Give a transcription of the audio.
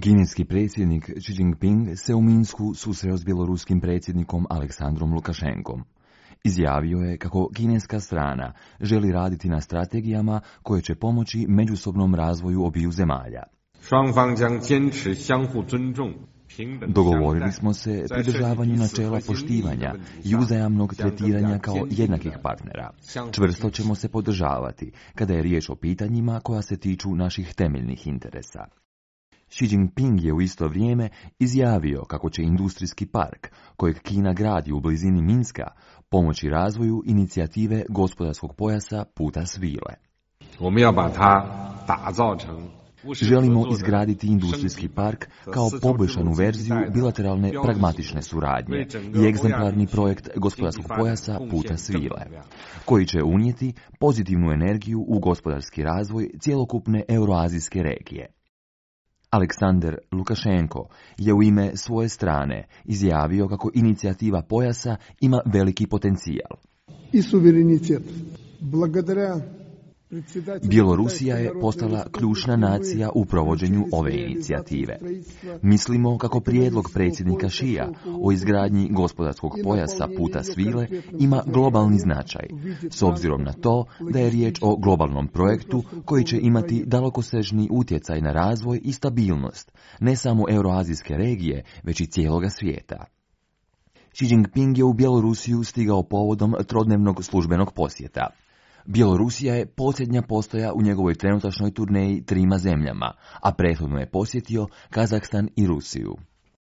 Kineski predsjednik Xi Jinping se u Minsku susreo s bjeloruskim predsjednikom Aleksandrom Lukašenkom. Izjavio je kako kineska strana želi raditi na strategijama koje će pomoći međusobnom razvoju obiju zemalja. Dogovorili smo se pridržavanju načela poštivanja i uzajamnog tretiranja kao jednakih partnera. Čvrsto ćemo se podržavati kada je riječ o pitanjima koja se tiču naših temeljnih interesa. Xi Jinping je u isto vrijeme izjavio kako će industrijski park, kojeg Kina gradi u blizini Minska, pomoći razvoju inicijative gospodarskog pojasa Puta svile. Želimo izgraditi industrijski park kao poboljšanu verziju bilateralne pragmatične suradnje i egzemplarni projekt gospodarskog pojasa Puta svile, koji će unijeti pozitivnu energiju u gospodarski razvoj cjelokupne euroazijske regije. Aleksandar Lukašenko je u ime svoje strane izjavio kako inicijativa pojasa ima veliki potencijal. I suverenitet. Благодаря Bjelorusija je postala ključna nacija u provođenju ove inicijative. Mislimo kako prijedlog predsjednika Xija o izgradnji gospodarskog pojasa Puta svile ima globalni značaj, s obzirom na to da je riječ o globalnom projektu koji će imati dalekosežni utjecaj na razvoj i stabilnost, ne samo euroazijske regije, već i cijeloga svijeta. Xi Jinping je u Bjelorusiju stigao povodom trodnevnog službenog posjeta. Bjelorusija je posljednja postaja u njegovoj trenutačnoj turneji trima zemljama, a prethodno je posjetio Kazahstan i Rusiju.